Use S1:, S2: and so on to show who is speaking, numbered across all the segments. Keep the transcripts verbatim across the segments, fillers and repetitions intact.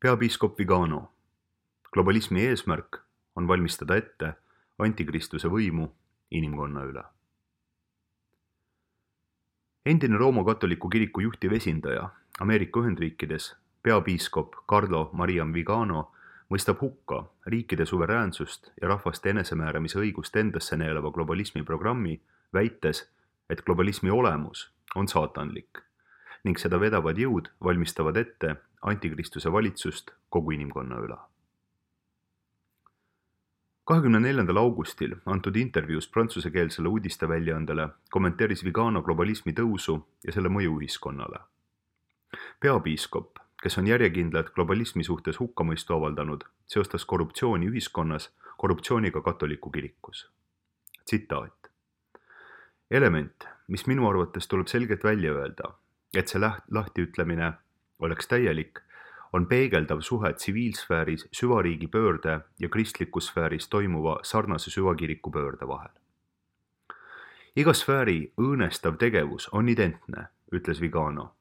S1: Peapiiskop Vigano. Globalismi eesmärk on valmistada ette antikristuse võimu inimkonna üle. Endine Rooma katoliku kiriku juhtiv esindaja Ameerika Ühendriikides, peapiiskop Carlo Maria Vigano mõistab hukka riikide suveräänsust ja rahvaste enesemääramise õigust endasse neelava globalismi programmi, väites, et globalismi olemus on saatanlik ning seda vedavad jõud valmistavad ette antikristuse valitsust kogu inimkonna üle. kahekümne neljandal augustil antud intervjuus prantsusekeelsele uudisteväljaandele kommenteeris Vigano globalismi tõusu ja selle mõju ühiskonnale. Peapiiskop, kes on järjekindlalt globalismi suhtes hukkamõistu avaldanud, seostas korruptsiooni ühiskonnas korruptsiooniga katoliku kirikus. Tsitaat. Element, mis minu arvates tuleb selgelt välja öelda, et see lahtiütlemine oleks täielik, on peegeldav suhe tsiviilsfääris süvariigi pöörde ja kristlikus sfääris toimuva sarnase süvakiriku pöörde vahel. Iga sfääri õõnestav tegevus on identne, ütles Vigano,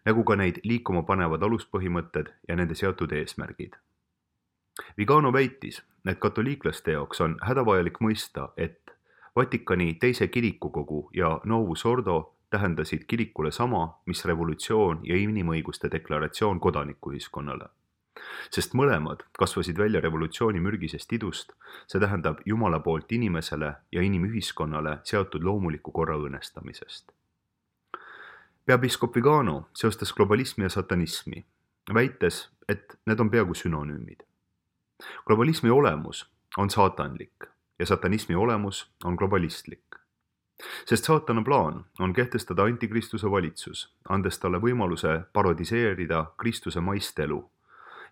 S1: nagu ka neid liikuma panevad aluspõhimõtted ja nende seotud eesmärgid. Vigano väitis, et katoliiklaste jaoks on hädavajalik mõista, et Vatikani teise kirikukogu ja Novus Ordo tähendasid kirikule sama, mis revolutsioon ja inimõiguste deklaratsioon kodanikuühiskonnale. Sest mõlemad kasvasid välja revolutsiooni mürgisest idust, see tähendab Jumala poolt inimesele ja inimühiskonnale seotud loomuliku korra õõnestamisest. Peapiiskop Vigano seostas globalismi ja satanismi, väites, et need on peaaegu sünonüümid. Globalismi olemus on saatanlik ja satanismi olemus on globalistlik. Sest saatana plaan on kehtestada antikristuse valitsus, andes talle võimaluse parodiseerida Kristuse maist elu,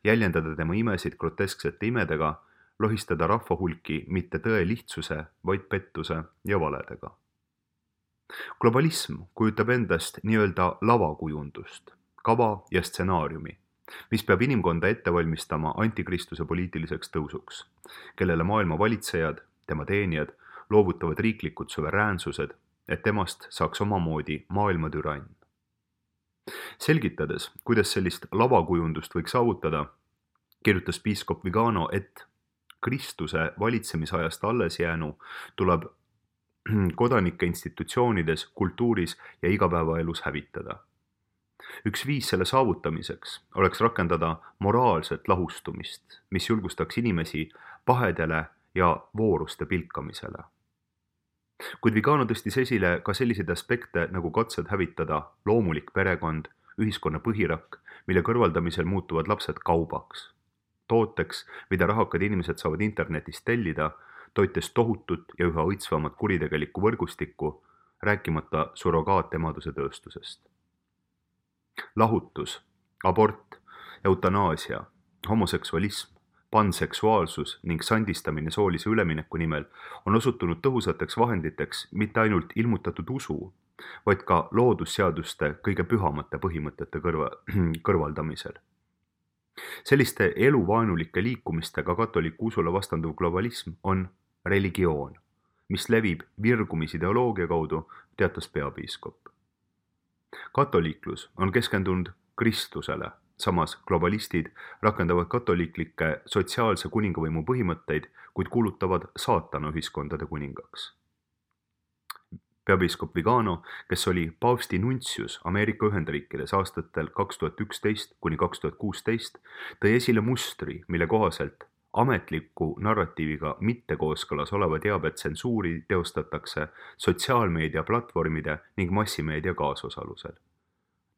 S1: jäljendada tema imesid grotesksete imedega, lohistada rahvahulki mitte tõe lihtsuse, vaid pettuse ja valedega. Globalism kujutab endast nii-öelda lavakujundust, kava ja stsenaariumi, mis peab inimkonda ette valmistama antikristuse poliitiliseks tõusuks, kellele maailma valitsejad, tema teenijad, loovutavad riiklikud suveräänsused, et temast saaks omamoodi maailma türann. Selgitades, kuidas sellist lavakujundust võiks saavutada, kirjutas piiskop Vigano, et Kristuse valitsemisajast alles jäänu tuleb kodanike institutsioonides, kultuuris ja igapäevaelus hävitada. Üks viis selle saavutamiseks oleks rakendada moraalset lahustumist, mis julgustaks inimesi pahedele ja vooruste pilkamisele. Kuid Vigano tõstis esile ka selliseid aspekte nagu katsed hävitada loomulik perekond, ühiskonna põhirakk, mille kõrvaldamisel muutuvad lapsed kaubaks, tooteks, mida rahakad inimesed saavad internetist tellida, toites tohutut ja üha õitsvamat kuritegelikku võrgustikku, rääkimata surrogaatemaduse tööstusest. Lahutus, abort, eutanaasia, homoseksualism, panseksuaalsus ning sandistamine soolise ülemineku nimel on osutunud tõhusateks vahenditeks mitte ainult ilmutatud usu, vaid ka loodusseaduste kõige pühamate põhimõtete kõrva, kõrvaldamisel. Selliste eluvaenulike liikumistega katoliku usule vastanduv globalism on religioon, mis levib virgumisideoloogia kaudu, teatas peapiiskop. Katoliiklus on keskendunud Kristusele, samas globalistid rakendavad katoliiklikke sotsiaalse kuningavõimu põhimõtteid, kuid kuulutavad saatana ühiskondade kuningaks. Peapiiskop Vigano, kes oli paavsti nuntsius Ameerika Ühendriikides aastatel kaks tuhat üksteist kuni kaks tuhat kuusteist, tõi esile mustri, mille kohaselt ametliku narratiiviga mitte kooskõlas oleva teabe tsensuuri teostatakse sotsiaalmeedia platvormide ning massimeedia kaasosalusel.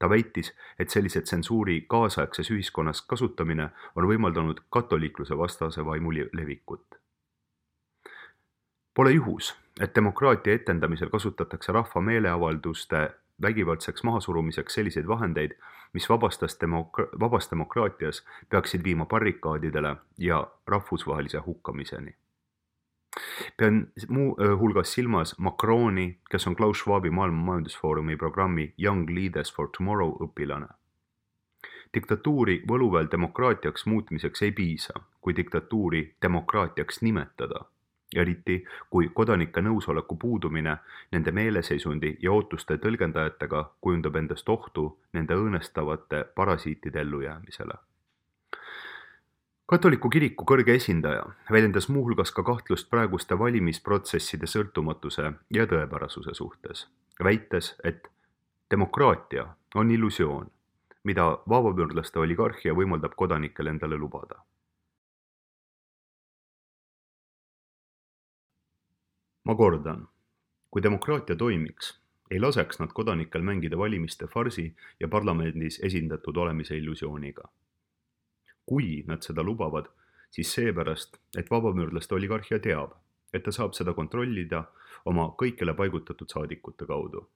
S1: Ta väitis, et sellise tsensuuri kaasaegses ühiskonnas kasutamine on võimaldanud katoliikluse vastase vaimu levikut. Pole juhus, et demokraatia etendamisel kasutatakse rahva meeleavalduste vägivaldseks mahasurumiseks selliseid vahendeid, mis vabastas demokra- vabas demokraatias peaksid viima barrikaadidele ja rahvusvahelise hukkamiseni. Pean muu hulgas silmas Macroni, kes on Klaus Schwabi maailma majandusfoorumi programmi Young Leaders for Tomorrow õpilane. Diktatuuri võluväel demokraatiaks muutmiseks ei piisa, kui diktatuuri demokraatiaks nimetada, eriti kui kodanike nõusoleku puudumine nende meeleseisundi ja ootuste tõlgendajatega kujundab endast ohtu nende õõnestavate parasiitide ellujäämisele. katoliku kiriku kõrge esindaja väljendas muuhulgas ka kahtlust praeguste valimisprotsesside sõltumatuse ja tõepärasuse suhtes, väites, et demokraatia on illusioon, mida vabamüürlaste oligarhia võimaldab kodanikel endale lubada. Ma kordan, kui demokraatia toimiks, ei laseks nad kodanikel mängida valimiste farsi ja parlamendis esindatud olemise illusiooniga. Kui nad seda lubavad, siis seepärast, et vabamüürlaste oligarhia teab, et ta saab seda kontrollida oma kõikjale paigutatud saadikute kaudu.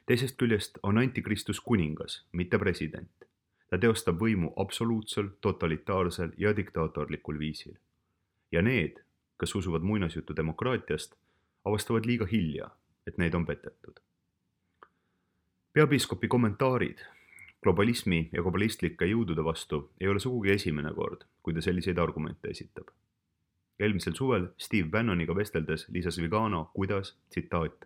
S1: Teisest küljest on antikristus kuningas, mitte president. Ta teostab võimu absoluutsel, totalitaarsel ja diktaatorlikul viisil. Ja need, kes usuvad muinasjutu demokraatiast, avastavad liiga hilja, et neid on petetud. Peapiiskopi kommentaarid globalismi ja globalistlike jõudude vastu ei ole sugugi esimene kord, kui ta selliseid argumente esitab. Eelmisel suvel Steve Bannoniga vesteldes lisas Vigano, kuidas, tsitaat,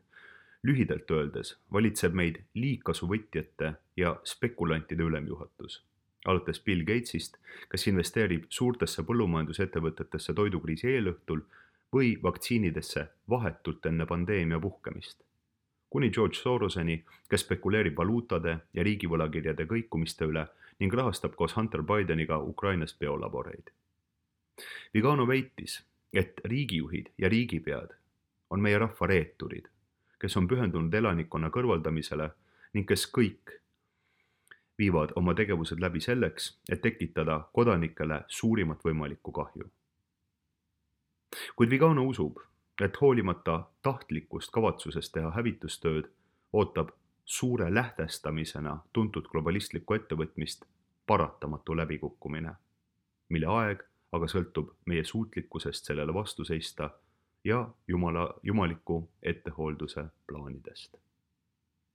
S1: lühidalt öeldes valitseb meid liigkasuvõtjate ja spekulantide ülemjuhatus. Alates Bill Gatesist, kes investeerib suurtesse põllumajandusettevõtetesse toidukriisi eelõhtul või vaktsiinidesse vahetult enne pandeemia puhkemist. Kuni George Soroseni, kes spekuleerib valuutade ja riigivõlakirjade kõikumiste üle ning rahastab koos Hunter Bideniga Ukrainas biolaboreid. Vigano väitis, et riigijuhid ja riigipead on meie rahva reeturid, kes on pühendunud elanikkonna kõrvaldamisele ning kes kõik viivad oma tegevused läbi selleks, et tekitada kodanikele suurimat võimalikku kahju. Kuid Vigano usub, et hoolimata tahtlikust kavatsusest teha hävitustööd, ootab suure lähtestamisena tuntud globalistlikku ettevõtmist paratamatu läbikukkumine, mille aeg aga sõltub meie suutlikkusest sellele vastu seista ja jumala, jumaliku ettehoolduse plaanidest.